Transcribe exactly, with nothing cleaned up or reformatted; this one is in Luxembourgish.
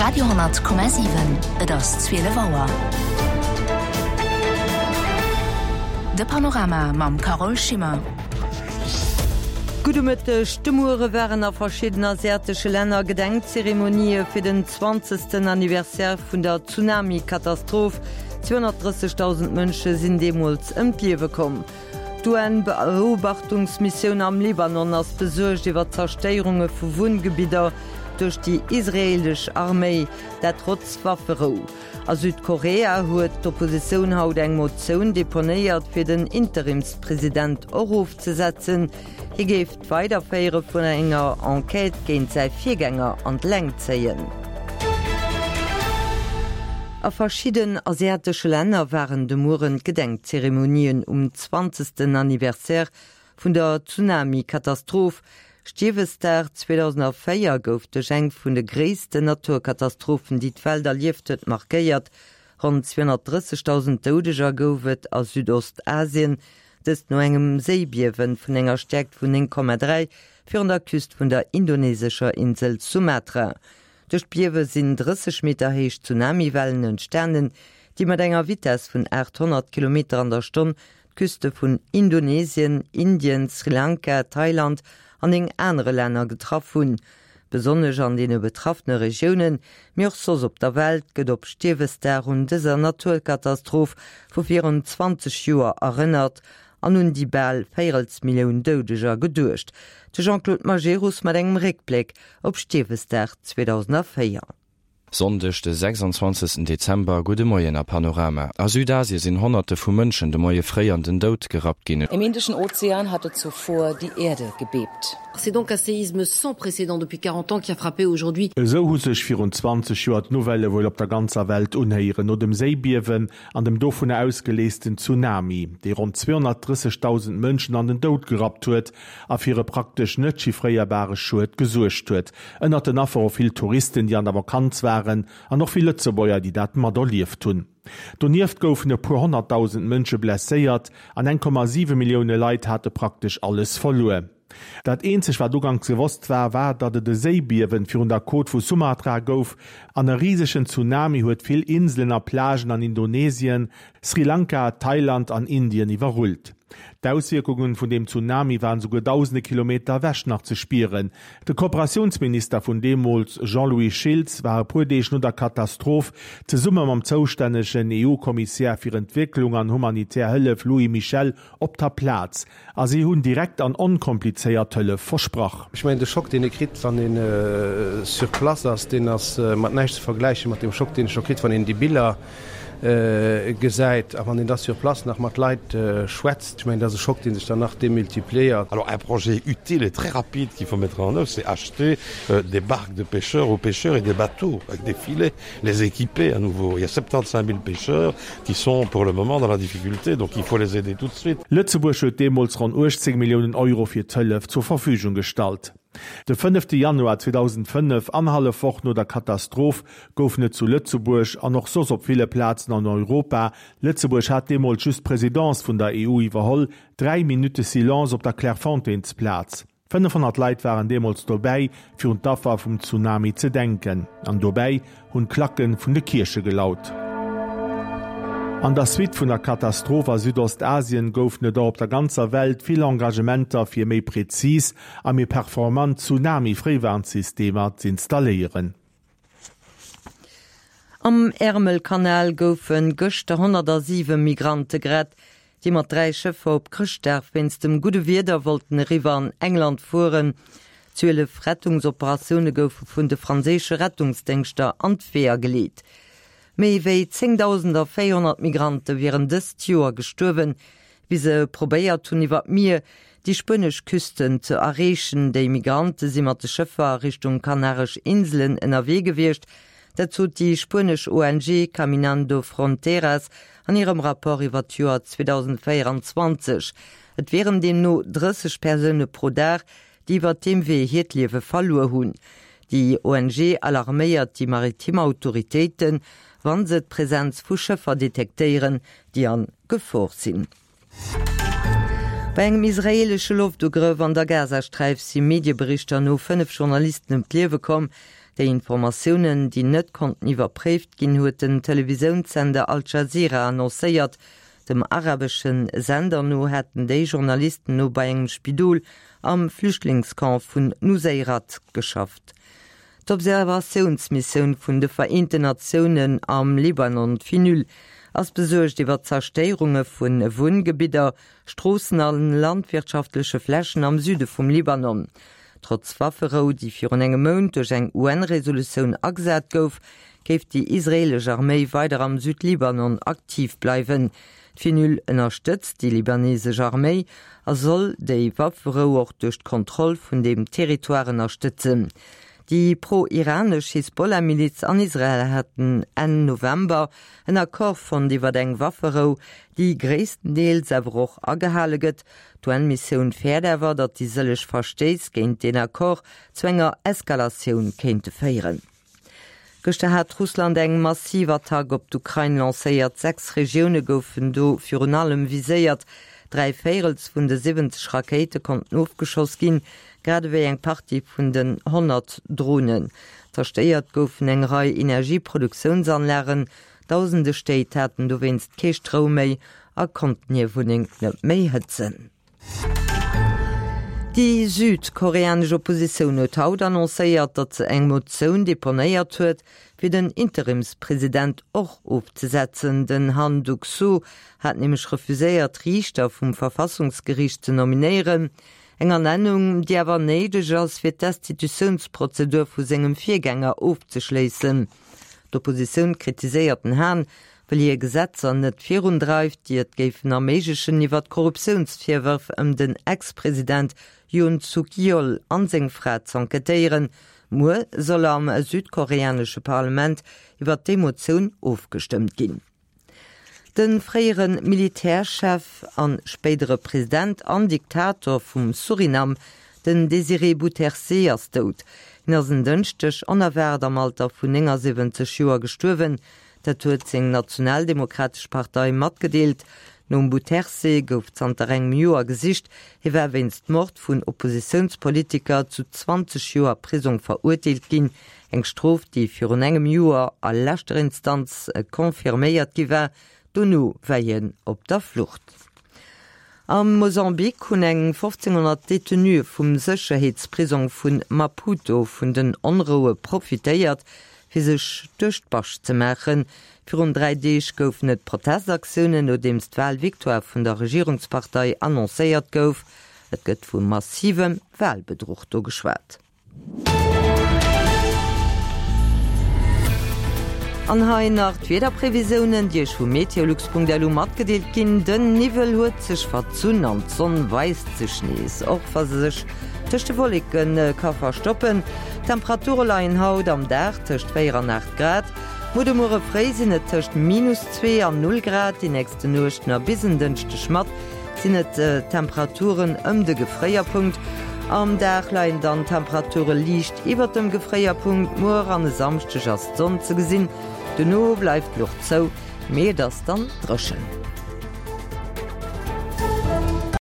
Radio honnert Komma siwen, Et ass zwielef Auer. De Panorama mam Carole Schimmer. Gudde Mëtteg. De Muere waren a verschiddenen asiatesche Länner Gedenkzeremonië fir den zwanzegsten Anniversaire vun der Tsunami-Katastroph. zweihunnertdrëssigtausend Mënsche sinn deemools ëm d'Liewe komm. D'UN-Beobachtungsmissioun am Libanon ass besuergt iwwer d'Zerstéierunge vu Wunngebidder duerch déi israeelesch Arméi, dat trotz Wafferou. A Südkorea huet d'Oppositioun haut eng Motioun deponéiert, fir den Interimspresident erofzesetzen. Hie géif d'Weiderféiere vun enger Enquête géint säi Virgänger an d'Längt zéien. A verschidden asiatesche Länner waren de Mueren d'Gedenkzeremonien um zwanzegsten Anniversaire vun der Tsunami-Katastroph. Stiewesdag zweedausendvéier gouf duerch eng vun de gréissten Naturkatastrophen, déi d'Welt erlieft huet, markéiert. Ronn zweehunnertdrëssigtausend Doudeger gouf et a Südostasien, dëst no engem Séibiewen vun enger Stäerkt vun néng Komma dräi virun der Küst vun der indonesescher Insel Sumatra. Duerch d'Biewe sinn drësseg Meter héich Tsunamiwellen entstanen, déi mat enger Vitess vun aathonnert Kilometer an der Stonn d'Küste vun Indonesien, Indien, Sri Lanka, Thailand an néng anere Länner getraff hunn. Besonnesch an deene betraffene Regiounen, mee och soss op der Welt, gëtt op Stiewesdag un dëser Naturkatastroph vu virun zwanzeg Joer erënnert an un déi bal Véierelsmillioun Doudeger geduecht. De Jean-Claude Majerus mat engem Réckbléck op Stiewesdag zweedausendvéier. Sonndeg de sechsundzwanzegsten Dezember, Gudde Moien a Panorama. A Südasie sinn Honnerte vu Mënschen de Moie fréi an den Doud gerappt ginn. Im Indischen Ozean hatte zuvor die Erde gebebt. C'est donc un séisme sans précédent depuis quarante ans qui a frappé aujourd'hui. Esou hu sech virun zwanzeg Joer d'Nouvellë wuel op der ganzer Welt unhéieren, no dem Séibiewen an dem dovunner ausgeleesten Tsunami, dee ronn zweehunnertdrëssigtausend Mënschen an den Doud gerappt huet a fir e praktesch net chiffréierbare Schued gesuergt huet. Ënnert den Affer och vill Touristen, déi an der Vakanz waren, an och vill Lëtzebuerger, déi dat materlieft hunn. Donieft goufen e puer honnertdausend Mënsche blesséiert an eng Komma siwe Millioune Leit hate praktesch alles verluer. Dat eenzeg wat uganks gewosst war, war datt et e Séibiewen virun der Côte vu Sumatra gouf an e risegen Tsunami huet vill Inselen a Plagen an Indonesien, Sri Lanka, Thailand an Indien iwwerrullt. D'Auswierkungen vun deem Tsunami waren souguer dausende Kilometer ewech nach ze spieren. De Kooperatiounsminister vun deemools, Jean-Louis Schiltz, war e puer Deeg no der Katastroph zesumme mam zoustännegen E U-Kommissär fir Entwécklung an humanitär Hëllef Louis Michel op der Plaz a si hunn direkt an onkomplizéiert Hëllef versprach. Ech mengen, de Schock, deen ee kritt, wann een sur place ass, deen ass mat näischt ze vergläichen mat deem Schock, deen ee scho kritt, wann een déi Biller gesäit a wann een da sur place nach mat Leit schwätzt. Ech mengen, dat ass e Schock, dee sech dann nach demultipliéiert. Alors un projet utile et très rapide qu'il faut mettre en œuvre, c'est acheter des barques de pêcheurs aux pêcheurs et des bateaux avec des filets, les équiper à nouveau. Il y a soixante-quinze mille pêcheurs qui sont pour le moment dans la difficulté, donc il faut les aider tout de suite. Lëtzebuerg huet deemools ronn uechtzéng Milliounen Euro fir d'Hëllef zur Verfügung gestallt. De fënnefte Januar zweedausendfënnef, annerhallef Woch no der Katastroph, goufen et zu Lëtzebuerg an och soss op ville Plazen an Europa, Lëtzebuerg hat deemools just d'Presidence vun der E U iwwerholl, dräi Minutte Silence op der Clairefontainesplaz. Fënnefhonnert Leit waren deemools dobäi, fir un d'Affer vum Tsunami ze denken. An dobäi hunn d'Klacke vun de Kierche gelaut. An der Suite vun der Katastroph a Südostasien goufen et och op der ganzer Welt vill Engagementer fir méi präzis a méi performant Tsunami-Fréiwarnsystemer z'installéieren. Am Ärmelkanal goufe gëschter honnertsiwe Migrante gerett, déi mat dräi Schëffer op Chrëschtdag wéinst dem gudde Wieder wollten eriwwer an England fueren. Zwielef Rettungsoperatioune goufe vun de franséische Rettungsdéngschter an d'Weeër geleet. Méi wéi zéngdausendvéierhonnert Migrante wieren dëst Joer gestuerwen, wéi se probéiert hunn iwwer d'Mier déi spuenesch Küsten ze erreechen. Déi Migrante si mat de Schëffer a Richtung Kanaresch Inselen ënnerwee gewiescht. Dat sot déi spuenesch O N G Caminando Fronteras an hirem Rapport iwwer d'Joer zweedausendvéierundzwanzeg. Et wieren deemno drësseg Persoune pro Dag, déi iwwer deem Wee hiert Liewe verluer hunn. Déi O N G alarméiert déi maritim Autoritéiten, wann se d'Presenz vu Schëffer detektéieren, déi an Gefor sinn. Bei engem israeelesche Loftugrëff an der Gazasträif si Medieberichter no fënnef Journalisten ëm d'Liewe komm. Déi Informatiounen, déi net konnten iwwerpréift ginn, huet den Televisiounssender Al Jazeera annoncéiert. Dem arabesche Sender no hätten déi Journalisten no bei engem Spidol am Flüchtlingscamp vun Nuseirat geschafft. D'Observatiounsmissioun vun de Vereenten Natiounen am Libanon, d'Finul, ass besuergt iwwer d'Zerstéierunge vu Wunngebidder, Stroossen a landwirtschaftleche Flächen am Süde vum Libanon. Trotz Wafferou, déi virun engem Mount duerch eng UN-Resolutioun agesat gouf, géif déi israeelesch Arméi weider am Südlibanon aktiv bleiwen. D'Finul ënnerstëtzt déi libanesesch Arméi a soll déi Wafferou och duerch d'Kontroll vun deem Territoire ënnerstëtzen. Déi pro-iranesch Hisbollah-Miliz an Israel haten Enn November en Accord fonnt iwwer eng Wafferou, déi gréisstendeels awer och agehale gëtt. D'UN-Missioun fäert awer, datt déi sëlleg Verstéiss géint deen Accord zu enger Eskalatioun kéinte féieren. Gëschter hat Russland eng massiv Attack op d'Ukrain lancéiert. Sechs Regioune goufen do virun allem viséiert. Dräi Véirels vun de siwwenzeg Rakéite konnten ofgeschoss ginn, grad ewéi eng Partie vun den honnert Dronen. Zerstéiert goufen eng Rei Energieproduktiounsanlagen, Dausende Stéit haten dowéinst kee Stroum méi a konnten hir Wunneng net méi hëtzen. Déi südkoreanesch Oppositioun huet haut annoncéiert, datt se eng Motioun deponéiert huet, fir den Interimspresident och ofzesetzen. Den Han Duck-soo hat nämlech refuséiert, Riichter vum Verfassungsgeriicht ze nominéieren. Eng Ernennung, déi awer néideg ass, fir d'Destitutiounsprozedur vu sengem Virgänger ofzeschléissen. D'Oppositioun kritiséiert den Han, well hie Gesetzer net virundreift, déi et géifen erméiglechen, iwwer d'Korruptiounsvirwërf ëm den Ex-President Yoon Suk Yeol an seng Fra z'enquêtéieren. Muer soll am südkoreanesche Parlament iwwer déi Motioun ofgestëmmt ginn. De fréiere Militärchef a spéidere President an Diktator vum Surinam, den Désiré Bouterse, ass dout. Hien ass en Dënschdeg onerwaart am Alter vun néngasiwwenzeg Joer gestuerwen. Dat huet seng Nationaldemokratesch Partei matgedeelt. Nom Bouterse gouf zanter engem Joer gesicht. Hie war wéinst Mord vun Oppositiounspolitiker zu zwanzeg Joer Prisong verurteelt ginn, eng Strof, déi virun engem Joer a leschter Instanz confirméiert gi war. Dono war hien op der Flucht. Am Mosambik hunn eng fofzénghonnert Detenuë vum Sécherheetsprisong vu Maputo vun den Onroue profitéiert, fir sech duerch d'Bascht ze maachen. Virun dräi Deeg goufen et Protestaktiounen, nodeems d'Walvictoire vun der Regierungspartei annoncéiert gouf. Et gëtt vu massivem Walbedruch do geschwat. An hei nach d'Wiederprevisiounen, déi Iech vu meteolux Punkt lu matgedeelt ginn. Den Niwwel huet sech verzunn an d'Sonn weist sech nees, och wa se sech tëscht de Wolleke ka verstoppen. D'Temperature leien haut am Dag tëscht véier an aacht Grad. Muer de Muere fréi sinn et tëscht minus zwee an null Grad, déi nächste Nuechten a bis en Dënschdeg mat sinn et Temperaturen ëm de Gefréierpunkt. Am Dag leien dann d'Temperature liicht iwwert dem Gefréierpunkt. Muer an e Samschdeg ass d'Sonn ze gesinn, dono bleift d'Luucht zou, mee et ass dann dréchen.